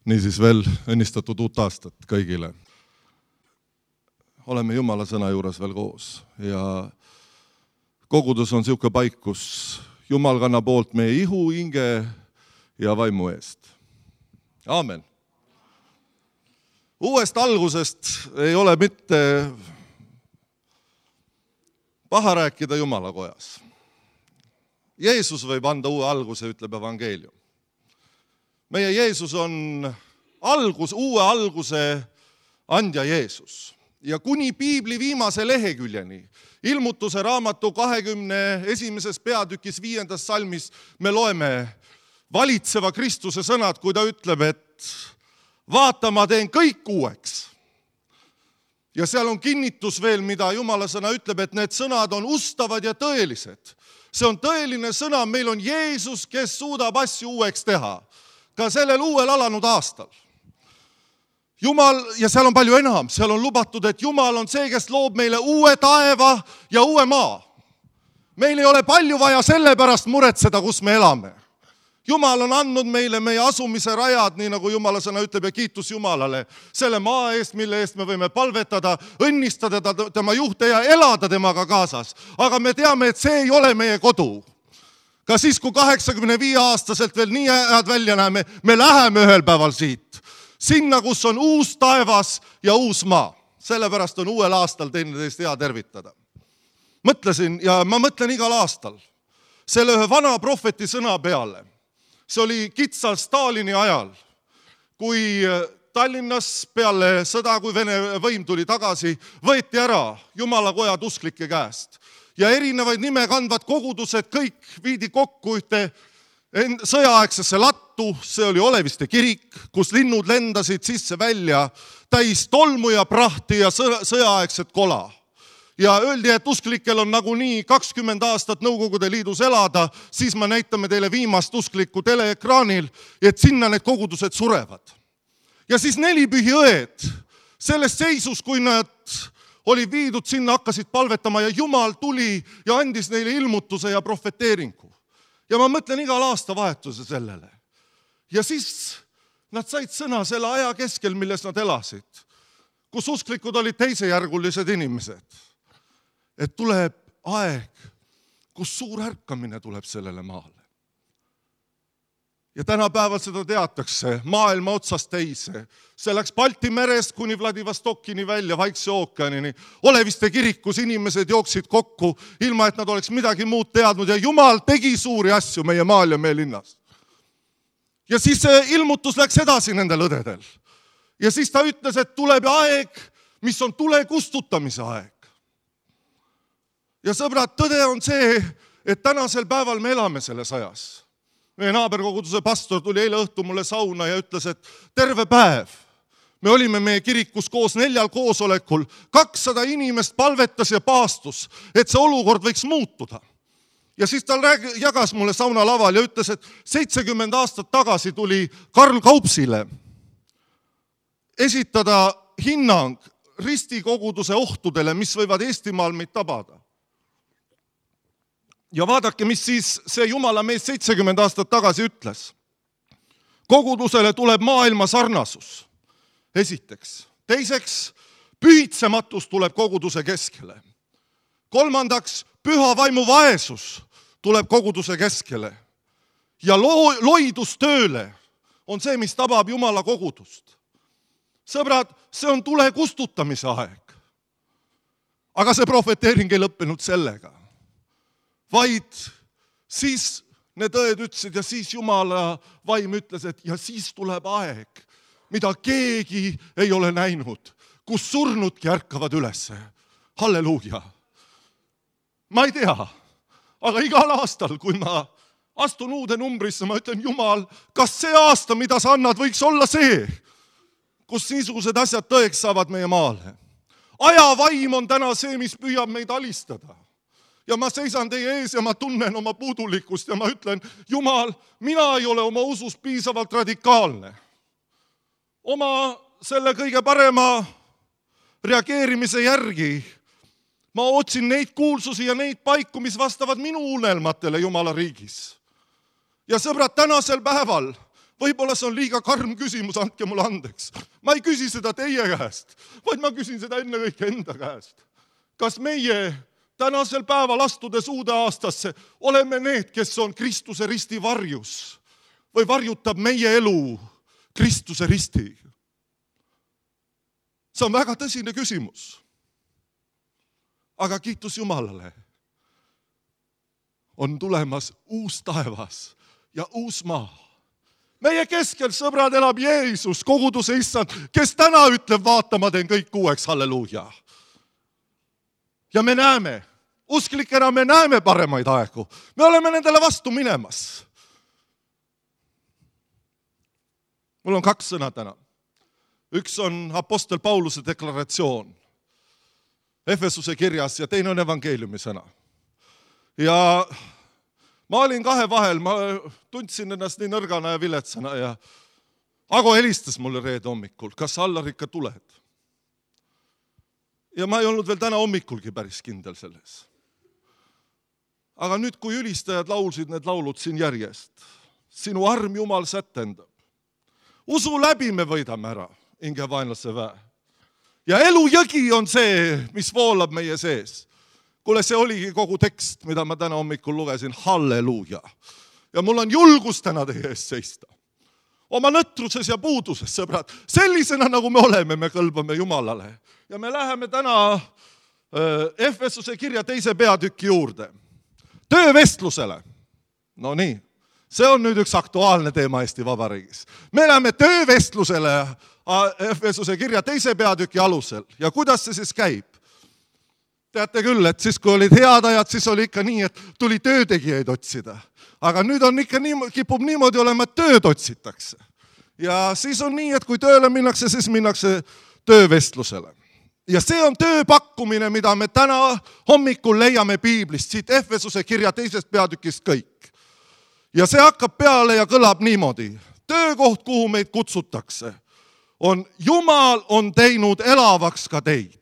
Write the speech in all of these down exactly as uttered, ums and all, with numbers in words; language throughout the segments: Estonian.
Niisiis veel õnnistatud uut aastat kõigile. Oleme Jumala sõna juures veel koos ja kogudus on siuke paik, kus Jumal kannab poolt meie ihu, hinge ja vaimu eest. Aamen. Uuest algusest ei ole mitte paha rääkida Jumala kojas. Jeesus võib anda uue alguse, ütleb evangeelium. Meie Jeesus on algus, uue alguse andja Jeesus. Ja kuni Piibli viimase leheküljeni, ilmutuse raamatu kahekümne esimeses peatükis viiendas salmis, me loeme valitseva Kristuse sõnad, kui ta ütleb, et vaata, ma teen kõik uueks. Ja seal on kinnitus veel, mida Jumala sõna ütleb, et need sõnad on ustavad ja tõelised. See on tõeline sõna, meil on Jeesus, kes suudab asju uueks teha. Ka sellel uuel alanud aastal. Jumal, ja seal on palju enam, seal on lubatud, et Jumal on see, kes loob meile uue taeva ja uue maa. Meil ei ole palju vaja selle pärast muretseda, kus me elame. Jumal on andnud meile meie asumise rajad, nii nagu Jumala sõna ütleb ja kiitus Jumalale, selle maa eest, mille eest me võime palvetada, õnnistada tema juhte ja elada temaga kaasas. Aga me teame, et see ei ole meie kodu. Ka siis, kui kaheksakümne viie aastaselt veel nii head välja näeme, me läheme ühel päeval siit. Sinna, kus on uus taevas ja uus maa. Sellepärast on uuel aastal teineteist hea tervitada. Mõtlesin, ja ma mõtlen igal aastal, selle ühe vana prohveti sõna peale. See oli kitsal Stalini ajal, kui Tallinnas peale sõda, kui Vene võim tuli tagasi, võeti ära Jumala kojad usklike käest. Ja erinevaid nime kandvad kogudused kõik viidi kokku ühte sõjaaegsesse lattu, see oli Oleviste kirik, kus linnud lendasid sisse välja täis tolmu ja prahti ja sõjaaegset kola. Ja öeldi, et usklikel on nagunii kakskümmend aastat Nõukogude Liidus elada, siis me näitame teile viimast usklikku teleekraanil, et sinna need kogudused surevad. Ja siis neli pühi õed, selles seisus, kui nad oli viidud sinna, hakkasid palvetama ja Jumal tuli ja andis neile ilmutuse ja profeteeringu. Ja ma mõtlen igal aasta vahetuse sellele. Ja siis nad said sõna selle aja keskel, milles nad elasid, kus usklikud olid teisejärgulised inimesed. Et tuleb aeg, kus suur ärkamine tuleb sellele maale. Ja tänapäeval seda teatakse maailma otsast teise. See läks Balti merest kuni Vladivostokini välja, Vaikse ookeanini. Oleviste kirikus inimesed jooksid kokku, ilma et nad oleks midagi muud teadnud. Ja Jumal tegi suuri asju meie maal ja meie linnas. Ja siis see ilmutus läks edasi nendel õdedel. Ja siis ta ütles, et tuleb aeg, mis on tule kustutamise aeg. Ja sõbrad, tõde on see, et tänasel päeval me elame selles ajas. Meie naaberkoguduse pastor tuli eile õhtu mulle sauna ja ütles, et terve päev me olime meie kirikus koos neljal koosolekul, kakssada inimest palvetas ja paastus, et see olukord võiks muutuda. Ja siis ta jagas mulle sauna laval ja ütles, et seitsekümmend aastat tagasi tuli Karl Kaupsile esitada hinnang ristikoguduse ohtudele, mis võivad Eestimaal meid tabada. Ja vaadake, mis siis see Jumala mees seitsekümmend aastat tagasi ütles. Kogudusele tuleb maailma sarnasus. Esiteks. Teiseks, pühitsematus tuleb koguduse keskele. Kolmandaks, püha vaimu vaesus tuleb koguduse keskele. Ja lo- loidus tööle on see, mis tabab Jumala kogudust. Sõbrad, see on tule kustutamise aeg. Aga see profeteering ei lõppenud sellega. Vaid siis need õed ütlesid ja siis Jumala vaim ütles, et ja siis tuleb aeg, mida keegi ei ole näinud, kus surnudki ärkavad ülesse. Halleluuja. Ma ei tea, aga igal aastal, kui ma astun uude numbrisse, ma ütlen, Jumal, kas see aasta, mida sa annad, võiks olla see, kus niisugused asjad tõeks saavad meie maale. Ajavaim on täna see, mis püüab meid alistada. Ja ma seisan teie ees ja ma tunnen oma puudulikkust ja ma ütlen, Jumal, mina ei ole oma usus piisavalt radikaalne. Oma selle kõige parema reageerimise järgi ma otsin neid kuulsusi ja neid paiku, mis vastavad minu unelmatele Jumala riigis. Ja sõbrad, tänasel päeval Võib-olla see on liiga karm küsimus, andke mulle andeks. Ma ei küsi seda teie käest, vaid ma küsin seda enne kõik enda käest. Kas meie tänasel päeval astudes uude aastasse oleme need, kes on Kristuse risti varjus või varjutab meie elu Kristuse risti? See on väga tõsine küsimus. Aga kiitus Jumalale. On tulemas uus taevas ja uus maa. Meie keskel, sõbrad, elab Jeesus, koguduse issand, kes täna ütleb, vaata, ma teen kõik uueks, halleluuja. Ja me näeme, usklikena me näeme paremaid aegu. Me oleme nendele vastu minemas. Mul on kaks sõna täna. Üks on apostel Pauluse deklaratsioon Efesuse kirjas ja teine on evangeeliumi sõna. Ja ma olin kahe vahel, ma tundsin ennast nii nõrgana ja viletsana ja Ago helistas mulle reede hommikul, kas sa Allar ikka tuled? Ja ma ei olnud veel täna hommikulgi päris kindel selles. Aga nüüd, kui ülistajad laulsid need laulud siin järjest, sinu arm Jumal sätendab. Usu läbi me võidame ära, inge vaenlase väe. Ja elujõgi on see, mis voolab meie sees. Kuule, see oligi kogu tekst, mida ma täna hommikul lugesin, halleluuja. Ja mul on julgus täna teie ees seista. Oma nõtruses ja puuduses, sõbrad, sellisena nagu me oleme, me kõlbame Jumalale. Ja me läheme täna Efesuse kirja teise peatüki juurde. Töövestlusele. No nii, see on nüüd üks aktuaalne teema Eesti Vabariigis. Me läheme töövestlusele Efesuse kirja teise peatüki alusel. Ja kuidas see siis käib? Teate küll, et siis kui olid head ajad, siis oli ikka nii, et tuli töötegijaid otsida. Aga nüüd on ikka nii, kipub niimoodi olema, et tööd otsitakse. Ja siis on nii, et kui tööle minnakse, siis minnakse töövestlusele. Ja see on tööpakkumine, mida me täna hommikul leiame Piiblist, siit Efesuse kirja teisest peatükist kõik. Ja see hakkab peale ja kõlab niimoodi. Töökoht, kuhu meid kutsutakse, on Jumal on teinud elavaks ka teid.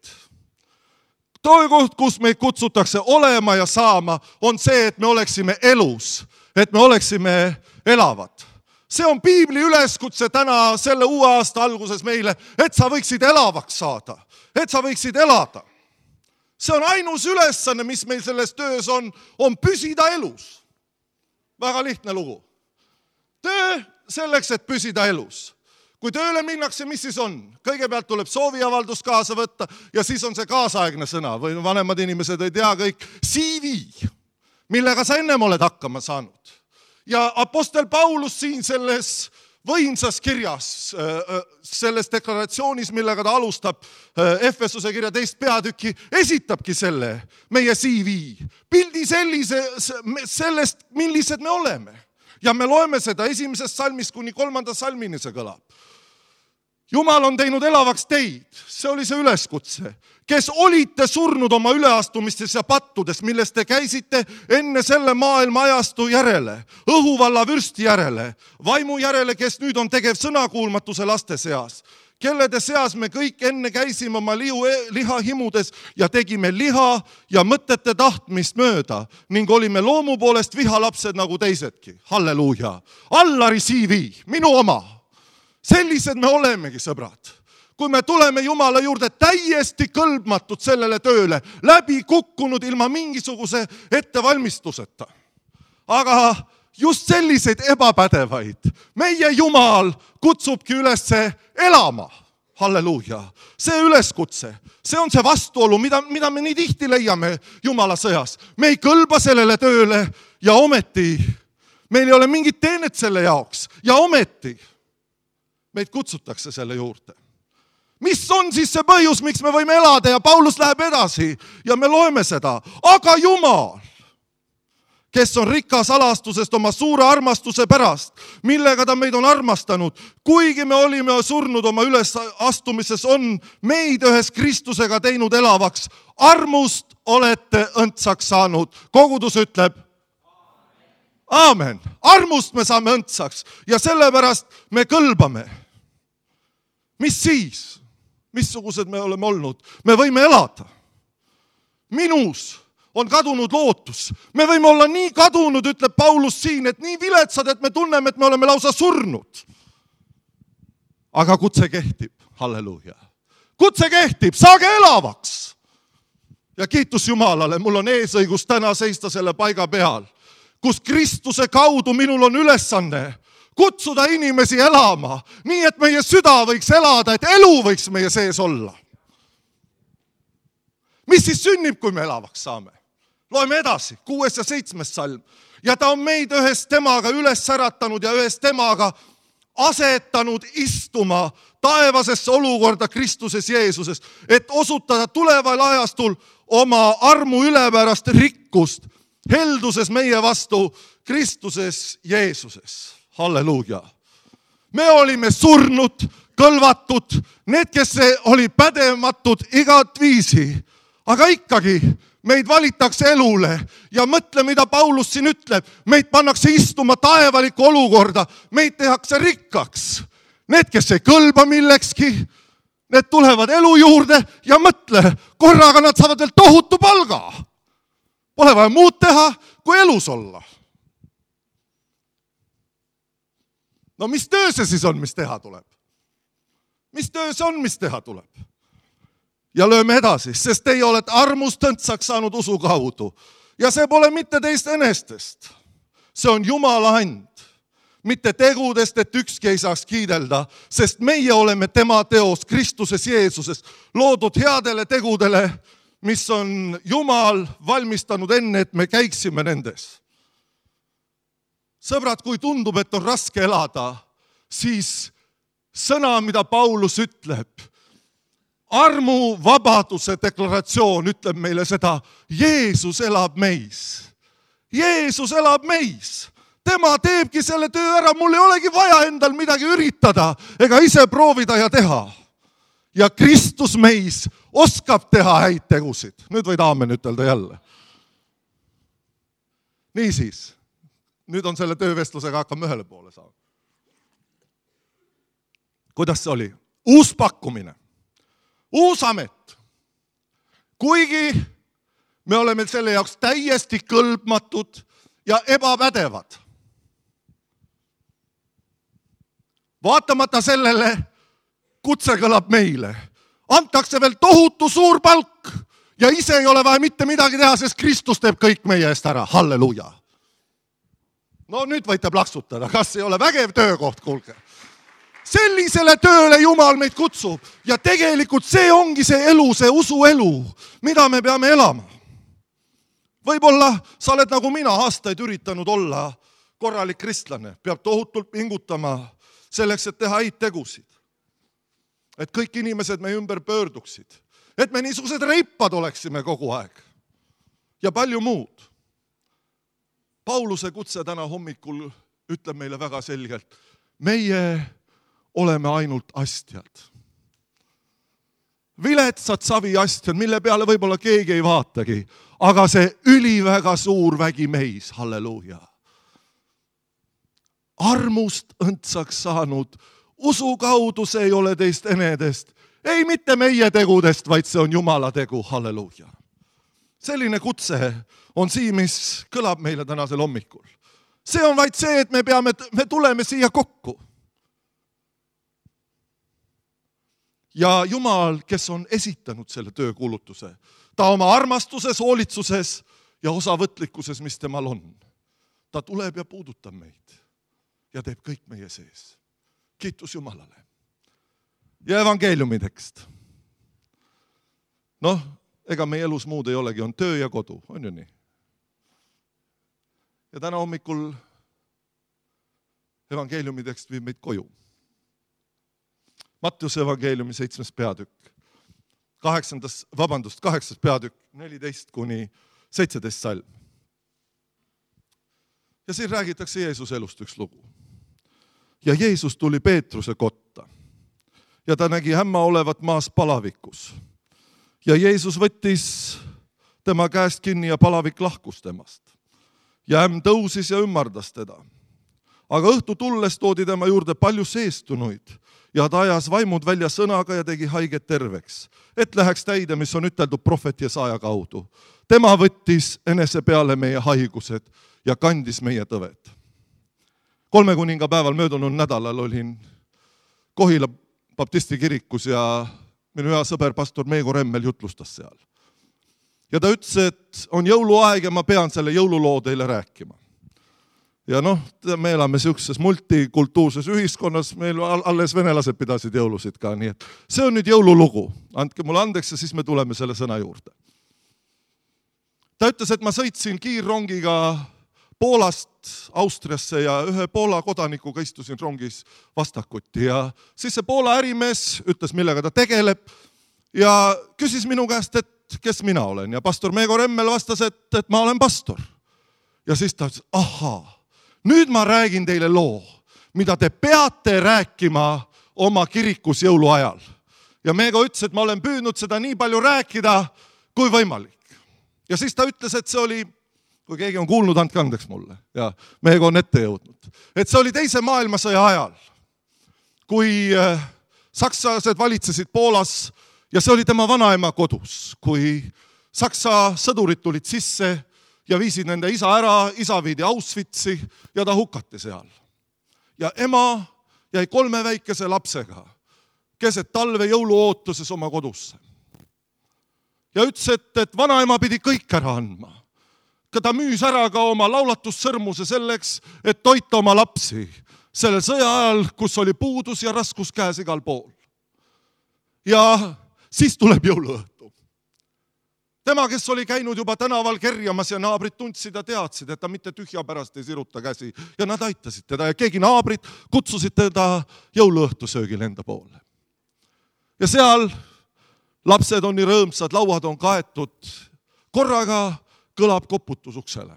Töökoht, kus meid kutsutakse olema ja saama, on see, et me oleksime elus, et me oleksime elavad. See on Piibli üleskutse täna selle uue aasta alguses meile, et sa võiksid elavaks saada, et sa võiksid elada. See on ainus ülesanne, mis meil selles töös on, on püsida elus. Väga lihtne lugu. Töö selleks, et püsida elus. Kui tööle minnakse, mis siis on? Kõigepealt tuleb sooviavaldus kaasa võtta ja siis on see kaasaegne sõna või vanemad inimesed ei tea kõik C V, millega sa ennem oled hakkama saanud. Ja apostel Paulus siin selles võimsas kirjas, selles deklaratsioonis, millega ta alustab Efesuse kirja teist peatüki, esitabki selle meie C V. Pildi sellise, sellest, millised me oleme. Ja me loeme seda esimesest salmist kuni kolmanda salmini see kõlab. Jumal on teinud elavaks teid, see oli see üleskutse, kes olite surnud oma üleastumistes ja pattudes, millest te käisite enne selle maailma ajastu järele, õhuvalla vürsti järele, vaimu järele, kes nüüd on tegev sõnakuulmatuse laste seas, kellede seas me kõik enne käisime oma lihu, liha himudes ja tegime liha ja mõtete tahtmist mööda ning olime loomu poolest vihalapsed nagu teisedki. Halleluuja. Allari C V, minu oma. Sellised me olemegi, sõbrad. Kui me tuleme Jumala juurde täiesti kõlbmatud sellele tööle, läbi kukkunud ilma mingisuguse ettevalmistuseta. Aga just selliseid ebapädevaid meie Jumal kutsubki üles elama. Halleluuja. See üleskutse, see on see vastuolu, mida, mida me nii tihti leiame Jumala sõjas. Me ei kõlba sellele tööle ja ometi meil ei ole mingit teenet selle jaoks ja ometi meid kutsutakse selle juurde. Mis on siis see põhjus, miks me võime elada ja Paulus läheb edasi ja me loeme seda. Aga Jumal, kes on rikas alastusest oma suure armastuse pärast, millega ta meid on armastanud, kuigi me olime surnud oma ülesastumises, on meid ühes Kristusega teinud elavaks. Armust olete õndsaks saanud. Kogudus ütleb, aamen. Armust me saame õndsaks ja sellepärast me kõlbame. Mis siis? Missugused me oleme olnud? Me võime elada. Minus on kadunud lootus. Me võime olla nii kadunud, ütleb Paulus siin, et nii viletsad, et me tunneme, et me oleme lausa surnud. Aga kutse kehtib, halleluuja. Kutse kehtib, saage elavaks. Ja kiitus Jumalale, mul on eesõigus täna seista selle paiga peal, kus Kristuse kaudu minul on ülesanne kutsuda inimesi elama, nii et meie süda võiks elada, et elu võiks meie sees olla. Mis siis sünnib, kui me elavaks saame? Loeme edasi, kuues ja seitsmes salm. Ja ta on meid ühes temaga üles säratanud ja ühes temaga asetanud istuma taevasesse olukorda Kristuses Jeesuses, et osutada tuleval ajastul oma armu ülepärast rikkust helduses meie vastu Kristuses Jeesuses. Halleluuja. Me olime surnud, kõlvatud, need, kes oli pädematud igat viisi, aga ikkagi meid valitakse elule ja mõtle, mida Paulus siin ütleb. Meid pannakse istuma taevalikku olukorda, meid tehakse rikkaks. Need, kes ei kõlba millekski, need tulevad elu juurde ja mõtle, korraga nad saavad veel tohutu palga. Pole vaja muud teha, kui elus olla. No mis töö see siis on, mis teha tuleb? Mis töö see on, mis teha tuleb? Ja lööme edasi, sest teie olete armust õndsaks saanud usu kaudu. Ja see pole mitte teist enestest. See on Jumala and. Mitte tegudest, et ükski ei saaks kiidelda, sest meie oleme tema teos Kristuses Jeesuses, loodud headele tegudele, mis on Jumal valmistanud enne, et me käiksime nendes. Sõbrad, kui tundub, et on raske elada, siis sõna, mida Paulus ütleb, armu vabaduse deklaratsioon ütleb meile seda, Jeesus elab meis. Jeesus elab meis. Tema teebki selle töö ära, mul ei olegi vaja endal midagi üritada ega ise proovida ja teha. Ja Kristus meis oskab teha häid tegusid. Nüüd võid aamen ütelda jälle. Niisiis, nüüd on selle töövestlusega hakkame ühele poole saama. Kuidas see oli? Uus pakkumine. Uus amet. Kuigi me oleme selle jaoks täiesti kõlbmatud ja ebapädevad. Vaatamata sellele kutse kõlab meile. Antakse veel tohutu suur palk ja ise ei ole vaja mitte midagi teha, sest Kristus teeb kõik meie eest ära. Halleluuja. No nüüd võite plaksutada, kas ei ole vägev töökoht, kuulge. Sellisele tööle Jumal meid kutsub ja tegelikult see ongi see elu, see usu elu, mida me peame elama. Võib-olla sa oled nagu mina aastaid üritanud olla korralik kristlane, peab tohutult pingutama selleks, et teha häid tegusid. Et kõik inimesed me ümber pöörduksid, et me niisugused reipad oleksime kogu aeg ja palju muud. Pauluse kutse täna hommikul ütleb meile väga selgelt, meie oleme ainult astjad. Viletsad saviastjad, mille peale võib-olla keegi ei vaatagi, aga see üliväga suur vägi meis, halleluuja. Armust õndsaks saanud, usu kaudu see ei ole teist enedest, ei mitte meie tegudest, vaid see on Jumala tegu, halleluuja. Selline kutse on siin, mis kõlab meile tänasel hommikul. See on vaid see, et me peame, me tuleme siia kokku. Ja Jumal, kes on esitanud selle töökuulutuse, ta oma armastuses, hoolitsuses ja osavõtlikkuses, mis temal on, ta tuleb ja puudutab meid ja teeb kõik meie sees. Kiitus Jumalale. Ja evangeeliumi tekst. Noh, ega meie elus muud ei olegi, on töö ja kodu, on ju nii? Ja täna hommikul evangeeliumi tekst viib meid koju. Mattiuse evangeeliumi seitsmes peatükk, kaheksandas, vabandust, kaheksas peatükk, neliteist kuni seitseteist salm. Ja siin räägitakse Jeesuse elust üks lugu. Ja Jeesus tuli Peetruse kotta ja ta nägi hämma olevat maas palavikus. Ja Jeesus võttis tema käest kinni ja palavik lahkus temast. Ja ämm tõusis ja ümmardas teda. Aga õhtu tulles toodi tema juurde palju seestunuid ja ta ajas vaimud välja sõnaga ja tegi haiget terveks, et läheks täide, mis on üteldud prohvet Jesaja kaudu. Tema võttis enese peale meie haigused ja kandis meie tõved. Kolme kuninga päeval möödunud nädalal olin Kohila baptisti kirikus ja minu hea sõber pastor Meego Remmel jutlustas seal. Ja ta ütles, et on jõuluaeg ja ma pean selle jõululoo teile rääkima. Ja noh, me elame siukses multikultuurses ühiskonnas, meil alles venelased pidasid jõulusid ka, nii et see on nüüd jõululugu. Andke mulle andeks ja siis me tuleme selle sõna juurde. Ta ütles, et ma sõitsin kiirrongiga Poolast Austriasse ja ühe Poola kodanikuga istusin rongis vastakuti ja siis see Poola ärimees ütles, millega ta tegeleb ja küsis minu käest, et kes mina olen ja pastor Meego Remmel vastas, et, et ma olen pastor. Ja siis ta ütles, ahaa, nüüd ma räägin teile loo, mida te peate rääkima oma kirikus jõuluajal. Ja Meego ütles, et ma olen püüdnud seda nii palju rääkida, kui võimalik. Ja siis ta ütles, et see oli, kui keegi on kuulnud, andke andeks mulle. Ja Meego on ette jõudnud. Et see oli teise maailmasõja ajal, kui sakslased valitsesid Poolas ja see oli tema vanaema kodus, kui saksa sõdurid tulid sisse ja viisid nende isa ära, isa viidi Auschwitzi ja ta hukati seal. Ja ema jäi kolme väikese lapsega keset talve jõuluootuses oma kodusse. Ja ütles, et, et vanaema pidi kõik ära andma. Ta müüs ära ka oma laulatussõrmuse selleks, et toita oma lapsi sellel sõja ajal, kus oli puudus ja raskus käes igal pool. Ja siis tuleb jõuluõhtu. Tema, kes oli käinud juba tänaval kerjamas ja naabrid tundsid ja teadsid, et ta mitte tühja pärast ei siruta käsi ja nad aitasid teda ja keegi naabrid kutsusid teda jõuluõhtu söögil enda poole. Ja seal lapsed on nii rõõmsad, lauad on kaetud, korraga kõlab koputus uksele.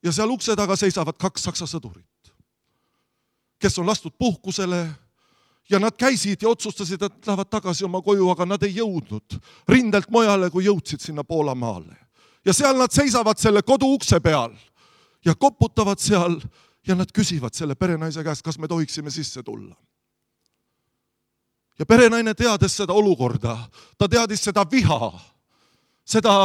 Ja seal ukse taga seisavad kaks saksa sõdurit, kes on lastud puhkusele ja nad käisid ja otsustasid, et lähevad tagasi oma koju, aga nad ei jõudnud rindelt mojale, kui jõudsid sinna Poola maale. Ja seal nad seisavad selle kodu ukse peal ja koputavad seal ja nad küsivad selle perenaise käest, kas me tohiksime sisse tulla. Ja perenaine teades seda olukorda, ta teadis seda viha, seda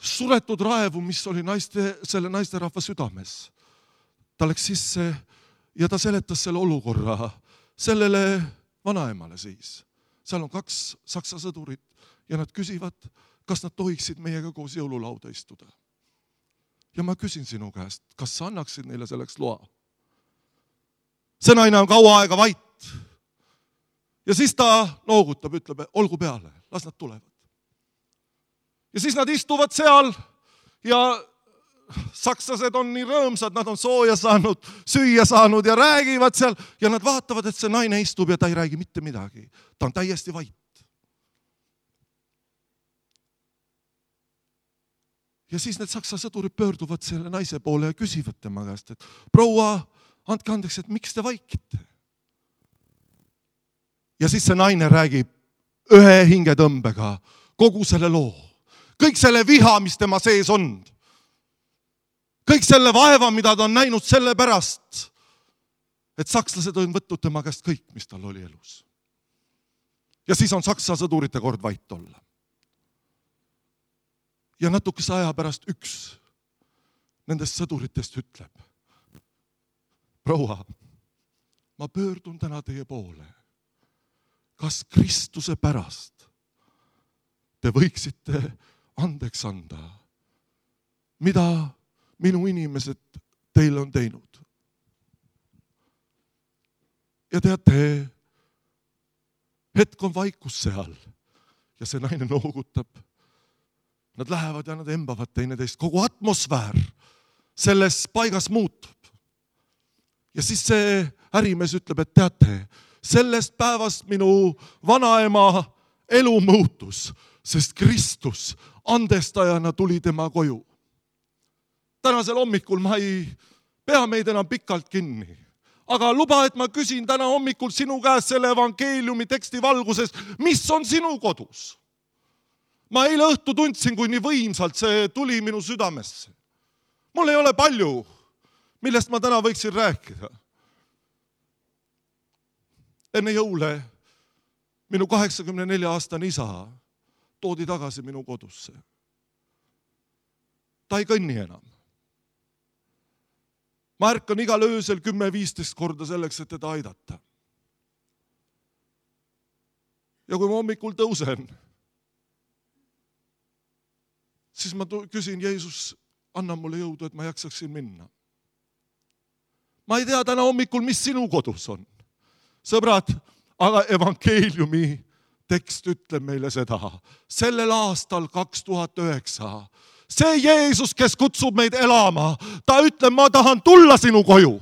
suretud raevu, mis oli naiste, selle naisterahva südames. Ta läks sisse ja ta seletas selle olukorra sellele vanaemale siis. Seal on kaks saksa sõdurit ja nad küsivad, kas nad tohiksid meiega koos jõululauda istuda. Ja ma küsin sinu käest, kas sa annaksid neile selleks loa? See naine on kaua aega vait. Ja siis ta noogutab, ütleb, olgu peale, las nad tulevad. Ja siis nad istuvad seal ja sakslased on nii rõõmsad, nad on sooja saanud, süüa saanud ja räägivad seal ja nad vaatavad, et see naine istub ja ta ei räägi mitte midagi. Ta on täiesti vait. Ja siis need saksa sõdurid pöörduvad selle naise poole ja küsivad tema käest, et proua, andke andeks, et miks te vaikite? Ja siis see naine räägib ühe hingetõmbega kogu selle loo. Kõik selle viha, mis tema sees on. Kõik selle vaeva, mida ta on näinud selle pärast, et sakslased on võtnud tema käest kõik, mis tal oli elus. Ja siis on saksa sõdurite kord vait olla. Ja natukese aja pärast üks nendest sõduritest ütleb, proua, ma pöördun täna teie poole. Kas Kristuse pärast te võiksite andeks anda, mida minu inimesed teile on teinud? Ja teate, hetk on vaikus seal ja see naine noogutab. Nad lähevad ja nad embavad teineteist. Kogu atmosfäär selles paigas muutub. Ja siis see ärimees ütleb, et teate, sellest päevast minu vanaema elu muutus, sest Kristus andestajana tuli tema koju. Tänasel hommikul ma ei pea meid enam pikalt kinni. Aga luba, et ma küsin täna hommikul sinu käest selle evangeeliumi teksti valguses, mis on sinu kodus? Ma eile õhtu tundsin, kui nii võimsalt see tuli minu südamesse. Mul ei ole palju, millest ma täna võiksin rääkida. enne jõule minu kaheksakümne nelja aastane isa toodi tagasi minu kodusse. Ta ei kõnni enam. Ma ärkan igal öösel kümme viisteist korda selleks, et teda aidata. Ja kui ma hommikul tõusen, siis ma küsin, Jeesus, anna mulle jõudu, et ma jaksaksin minna. Ma ei tea täna hommikul, mis sinu kodus on. Sõbrad, aga evangeeliumi tekst ütleb meile seda. Sellel aastal kaks tuhat üheksa see Jeesus, kes kutsub meid elama, ta ütleb, ma tahan tulla sinu koju.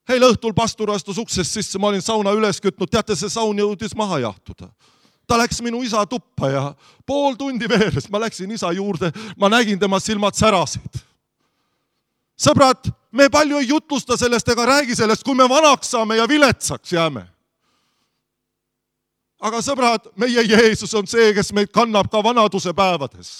Heil õhtul pastor astus uksest sisse, ma olin sauna üles kütnud, teate, see saun jõudis maha jahtuda. Ta läks minu isa tuppa ja pool tundi veeres, ma läksin isa juurde, ma nägin tema silmad särasid. Sõbrad, me palju ei jutlusta sellest ega räägi sellest, kui me vanaks saame ja viletsaks jääme. Aga sõbrad, meie Jeesus on see, kes meid kannab ka vanaduse päevades.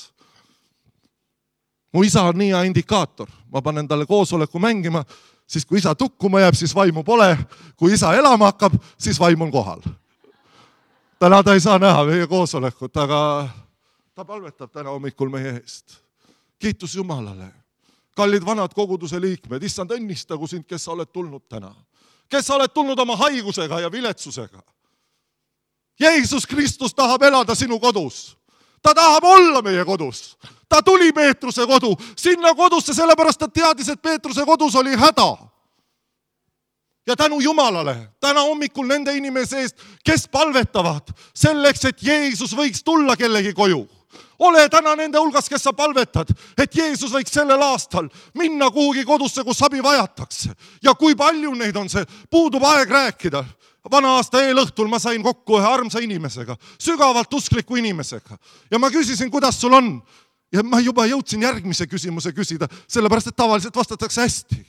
Mu isa on nii hea indikaator. Ma panen talle koosoleku mängima, siis kui isa tukkuma jääb, siis vaimu pole. Kui isa elama hakkab, siis vaim on kohal. Täna ta ei saa näha meie koosolekut, aga ta palvetab täna hommikul meie eest. Kiitus Jumalale. Kallid vanad koguduse liikmed, issand õnnistagu sind, kes sa oled tulnud täna. Kes sa oled tulnud oma haigusega ja viletsusega. Jeesus Kristus tahab elada sinu kodus. Ta tahab olla meie kodus. Ta tuli Peetruse kodu, sinna kodusse, sellepärast ta teadis, et Peetruse kodus oli häda. Ja tänu Jumalale, täna hommikul nende inimese eest, kes palvetavad selleks, et Jeesus võiks tulla kellegi koju. Ole täna nende hulgas, kes sa palvetad, et Jeesus võiks sellel aastal minna kuhugi kodusse, kus abi vajatakse. Ja kui palju neid on see, puudub aeg rääkida. Vana aasta eelõhtul ma sain kokku ühe armsa inimesega, sügavalt uskliku inimesega. Ja ma küsisin, kuidas sul on. Ja ma juba jõudsin järgmise küsimuse küsida, sellepärast, et tavaliselt vastatakse hästi.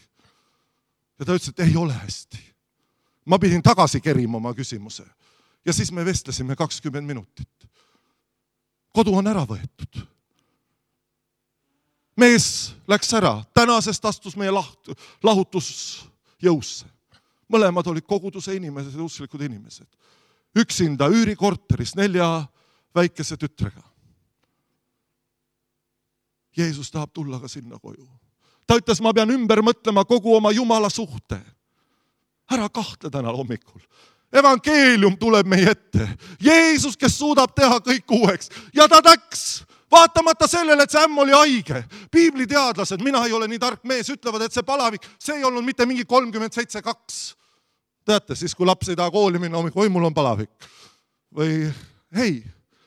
Ja ta ütles, et ei ole hästi. Ma pidin tagasi kerima oma küsimuse. Ja siis me vestlesime kakskümmend minutit. Kodu on ära võetud. Mees läks ära, tänasest astus meie lahutus jõusse. Mõlemad olid koguduse inimesed ja usklikud inimesed. Üksinda üürikorteris nelja väikese tütrega. Jeesus tahab tulla ka sinna koju. Ta ütles, ma pean ümber mõtlema kogu oma Jumala suhte. Ära kahtle täna hommikul. Evangeelium tuleb meie ette. Jeesus, kes suudab teha kõik uueks. Ja ta täks. Vaatamata sellele, et see ämm oli haige. Piibliteadlased, mina ei ole nii tark mees, ütlevad, et see palavik, see ei olnud mitte mingi kolmkümmend seitse kaks. Teate, siis kui laps ei taha kooli minna, oi, mul on palavik. Või hei,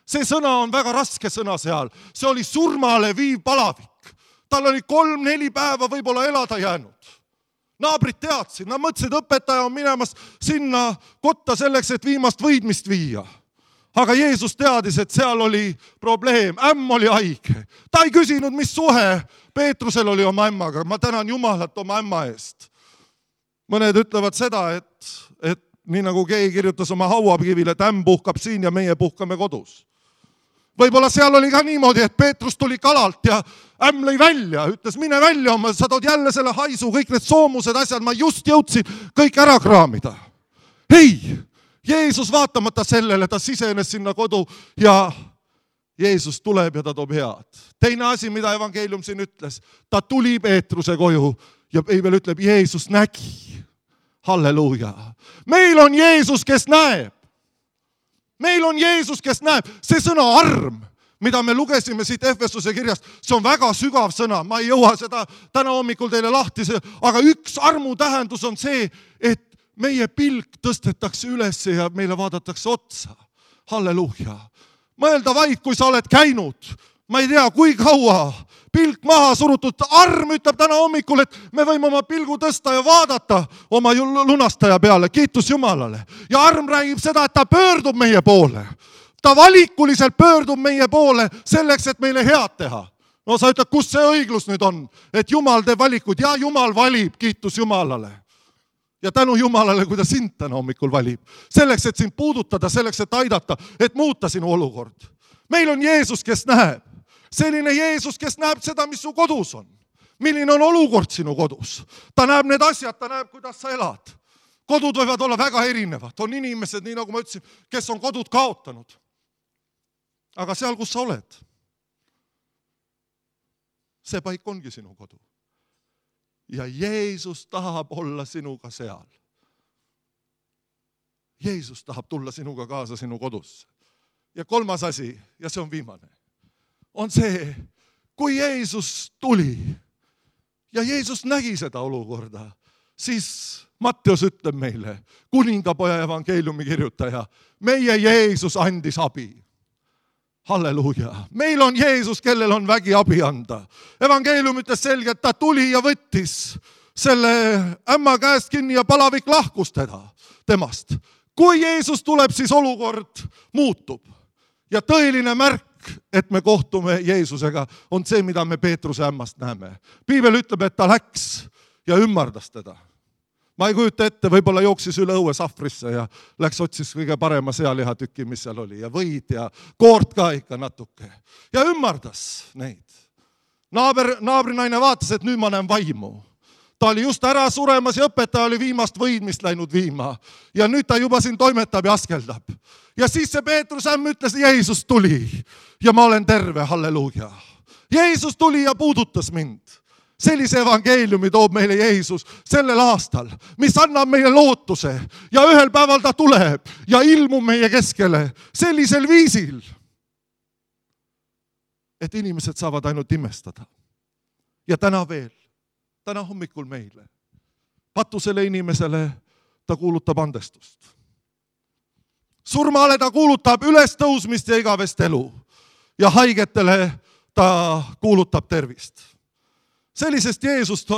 see sõna on väga raske sõna seal. See oli surmale viiv palavik. Tal oli kolm-neli päeva võib-olla elada jäänud. Naabrid teadsid, nad mõtlesid, õpetaja on minemas sinna kotta selleks, et viimast võidmist viia. Aga Jeesus teadis, et seal oli probleem. Ämm oli haige. Ta ei küsinud, mis suhe Peetrusel oli oma ämmaga. Ma tänan Jumalat oma ämma eest. Mõned ütlevad seda, et, et nii nagu keegi kirjutas oma hauakivile, et ämm puhkab siin ja meie puhkame kodus. Võib-olla seal oli ka niimoodi, et Peetrus tuli kalalt ja ämm lõi välja. Ütles, mine välja, sa tood jälle selle haisu, kõik need soomused asjad, ma just jõudsin kõik ära kraamida. Hei! Jeesus vaatamata sellele, ta sisenes sinna kodu ja Jeesus tuleb ja ta toob head. Teine asi, mida evangeelium siin ütles, ta tuli Peetruse koju ja Piibel ütleb, Jeesus nägi. Halleluuja. Meil on Jeesus, kes näeb. Meil on Jeesus, kes näeb. See sõna arm, mida me lugesime siit Efesuse kirjast, see on väga sügav sõna. Ma ei jõua seda täna hommikul teile lahti, aga üks armu tähendus on see, et meie pilk tõstetakse üles ja meile vaadatakse otsa. Halleluuja. Mõelda vaid, kui sa oled käinud. Ma ei tea, kui kaua. Pilk maha surutud. Arm ütleb täna hommikul, et me võime oma pilgu tõsta ja vaadata oma lunastaja peale. Kiitus Jumalale. Ja arm räägib seda, et ta pöördub meie poole. Ta valikuliselt pöördub meie poole selleks, et meile head teha. No sa ütled, kus see õiglus nüüd on? Et Jumal teeb valikud. Ja Jumal valib. Kiitus Jumalale. Ja tänu Jumalale, kui ta sind täna hommikul valib. Selleks, et sind puudutada, selleks, et aidata, et muuta sinu olukord. Meil on Jeesus, kes näeb. Selline Jeesus, kes näeb seda, mis su kodus on. Milline on olukord sinu kodus. Ta näeb need asjad, ta näeb, kuidas sa elad. Kodud võivad olla väga erinevad. On inimesed, nii nagu ma ütlesin, kes on kodud kaotanud. Aga seal, kus sa oled, see paik ongi sinu kodu. Ja Jeesus tahab olla sinuga seal. Jeesus tahab tulla sinuga kaasa sinu kodusse. Ja kolmas asi, ja see on viimane, on see, kui Jeesus tuli ja Jeesus nägi seda olukorda, siis Matteus ütleb meile, kuningapoja evangeeliumi kirjutaja, meie Jeesus andis abi. Halleluuja. Meil on Jeesus, kellel on vägi abi anda. Evangeelium ütles selgelt, ta tuli ja võttis selle ämma käest kinni ja palavik lahkus teda, temast. Kui Jeesus tuleb, siis olukord muutub. Ja tõeline märk, et me kohtume Jeesusega, on see, mida me Peetruse ämmast näeme. Piibel ütleb, et ta läks ja ümmardas teda. Ma ei kujuta ette, võib-olla jooksis üle õue sahvrisse ja läks otsis kõige parema sealihatüki, mis seal oli. Ja võid ja koort ka ikka natuke. Ja ümmardas neid. Naaber, naabrinaine vaatas, et nüüd ma näen vaimu. Ta oli just ära suremas ja õpetaja oli viimast võidmist läinud viima. Ja nüüd ta juba siin toimetab ja askeldab. Ja siis see Peetrus ämm ütles, Jeesus tuli ja ma olen terve, halleluuja. Jeesus tuli ja puudutas mind. Sellise evangeeliumi toob meile Jeesus sellel aastal, mis annab meile lootuse ja ühel päeval ta tuleb ja ilmub meie keskele sellisel viisil, et inimesed saavad ainult imestada. Ja täna veel, täna hommikul meile, patusele inimesele ta kuulutab andestust. Surmale ta kuulutab ülestõusmist ja igavest elu ja haigetele ta kuulutab tervist. Sellisest Jeesust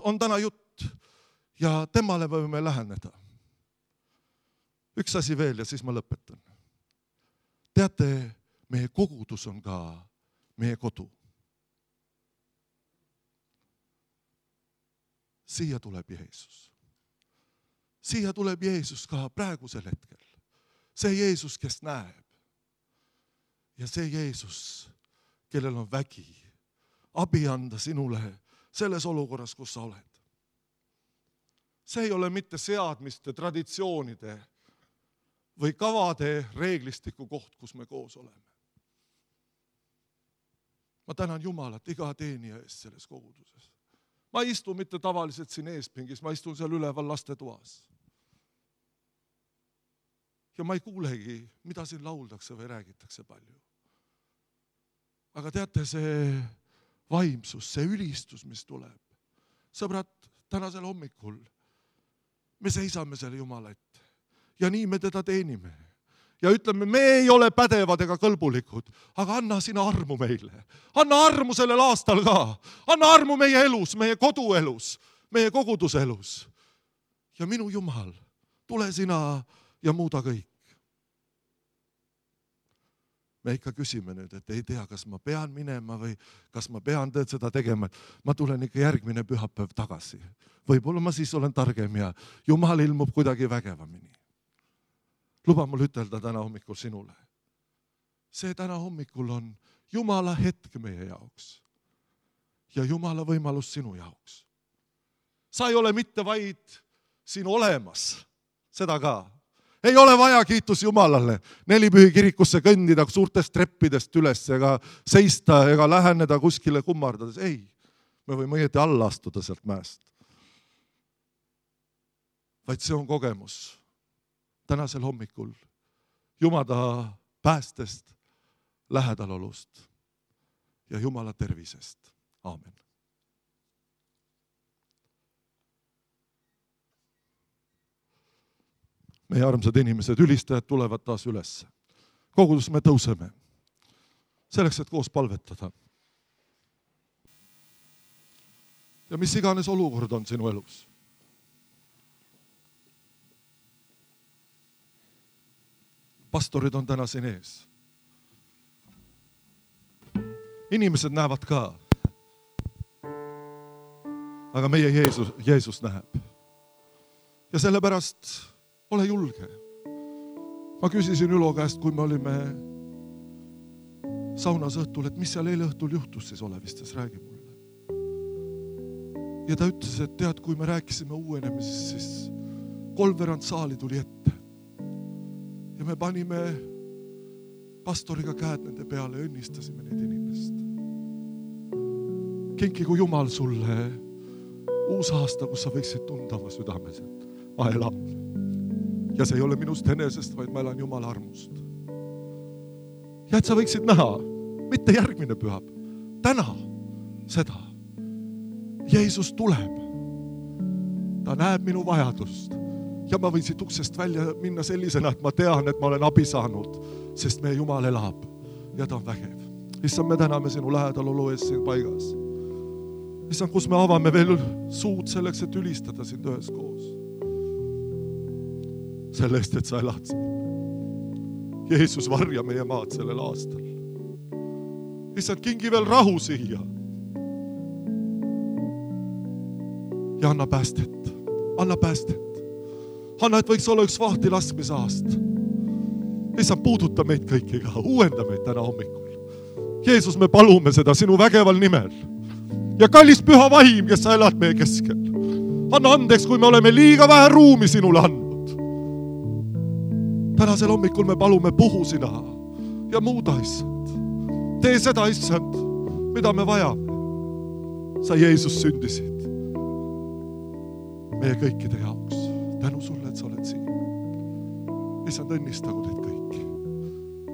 on täna jutt ja temale võime läheneda. Üks asi veel ja siis ma lõpetan. Teate, meie kogudus on ka meie kodu. Siia tuleb Jeesus. Siia tuleb Jeesus ka praegusel hetkel. See Jeesus, kes näeb. Ja see Jeesus, kellel on vägi, abi anda sinule selles olukorras, kus sa oled. See ei ole mitte seadmiste, traditsioonide või kavade reeglistiku koht, kus me koos oleme. Ma tänan Jumalat iga teenija eest selles koguduses. Ma ei istu mitte tavaliselt siin eespingis, ma istun seal üleval laste toas. Ja ma ei kuulegi, mida siin lauldakse või räägitakse palju. Aga teate, see vaimsus, see ülistus, mis tuleb. Sõbrad, tänasel hommikul me seisame selle Jumala ette ja nii me teda teenime. Ja ütleme, me ei ole pädevad ega kõlbulikud, aga anna sina armu meile. Anna armu sellel aastal ka. Anna armu meie elus, meie koduelus, meie koguduselus. Ja minu Jumal, tule sina ja muuda kõik. Me ikka küsime nüüd, et ei tea, kas ma pean minema või kas ma pean seda tegema. Ma tulen ikka järgmine pühapäev tagasi. Võib-olla ma siis olen targem ja Jumal ilmub kuidagi vägevamini. Luba mul ütelda täna hommikul sinule. See täna hommikul on Jumala hetk meie jaoks ja Jumala võimalus sinu jaoks. Sa ei ole mitte vaid siin olemas, seda ka. Ei ole vaja, kiitus Jumalale, Nelipühi kirikusse kõndida suurtest treppidest üles ega seista ega läheneda kuskile kummardades. Ei, me võime õieti alla astuda sealt mäest. Vaid see on kogemus tänasel hommikul Jumala päästest, lähedalolust ja Jumala tervisest. Aamen. Meie armsad inimesed, ülistajad tulevad taas üles. Kogudus me tõuseme. Selleks, et koos palvetada. Ja mis iganes olukord on sinu elus. Pastorid on täna siin ees. Inimesed näevad ka. Aga meie Jeesus, Jeesus näeb. Ja sellepärast ole julge. Ma küsisin Ülo käest, kui me olime saunas õhtul, et mis seal eile õhtul juhtus siis Olevistes, räägi mulle. Ja ta ütles, et tead, kui me rääkisime uuenemisest, siis kolmveerand saali tuli ette. Ja me panime pastoriga käed nende peale ja õnnistasime neid inimest. Kinkigu Jumal sulle uus aasta, kus sa võiksid tunda oma südames, et ma elan. Ja see ei ole minust enesest, vaid ma elan Jumala armust. Ja et sa võiksid näha, mitte järgmine pühab, täna seda. Jeesus tuleb. Ta näeb minu vajadust. Ja ma võin siit uksest välja minna sellisena, et ma tean, et ma olen abi saanud, sest meie Jumal elab ja ta on vägev. Issand, me täname sinu lähedal olu ees siin paigas. Issand, kus me avame veel suud selleks, et ülistada sind ühes koos. Selle eest, et sa elad siin. Jeesus, varja meie maad sellel aastal. Issand, kingi veel rahu siia. Ja anna päästet. Anna päästet. Anna, et võiks olla üks vahti laskmisaast. Issand, puuduta meid kõikiga. Uuenda meid täna hommikul. Jeesus, me palume seda sinu vägeval nimel. Ja kallis püha vaim, kes sa elad meie keskel. Anna andeks, kui me oleme liiga vähe ruumi sinule andnud. Tänasel hommikul me palume puhu sina ja muuda, issand. Tee seda, issand, mida me vajame. Sa, Jeesus, sündisid meie kõikide jaoks. Tänu sulle, et sa oled siin. Issand, õnnistagu teid kõiki.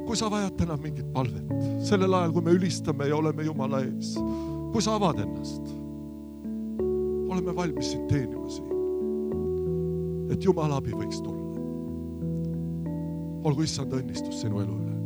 Kui sa vajad täna mingit palvet, sellel ajal, kui me ülistame ja oleme Jumala ees, kui sa avad ennast, oleme valmis sind teenima siin, et Jumala abi võiks tulla. Olgu issand õnnistus sinu elu üle.